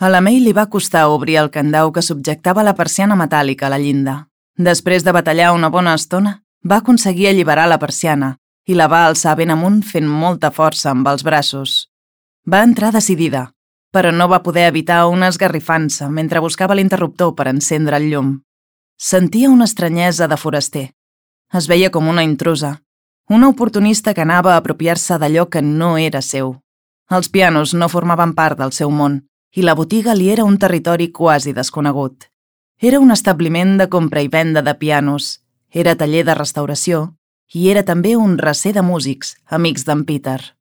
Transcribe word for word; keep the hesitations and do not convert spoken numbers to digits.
A la May li va costar obrir el candau que subjectava la persiana metàl·lica a la llinda. Després de batallar una bona estona, va aconseguir alliberar la persiana i la va alçar ben amunt fent molta força amb els braços. Va entrar decidida, però no va poder evitar una esgarrifança mentre buscava l'interruptor per encendre el llum. Sentia una estranyesa de foraster. Es veia com una intrusa, una oportunista que anava a apropiar-se d'allò que no era seu. Els pianos no formaven part del seu món i la botiga li era un territori quasi desconegut. Era un establiment de compra i venda de pianos, era taller de restauració i era també un recer de músics, amics d'en Peter.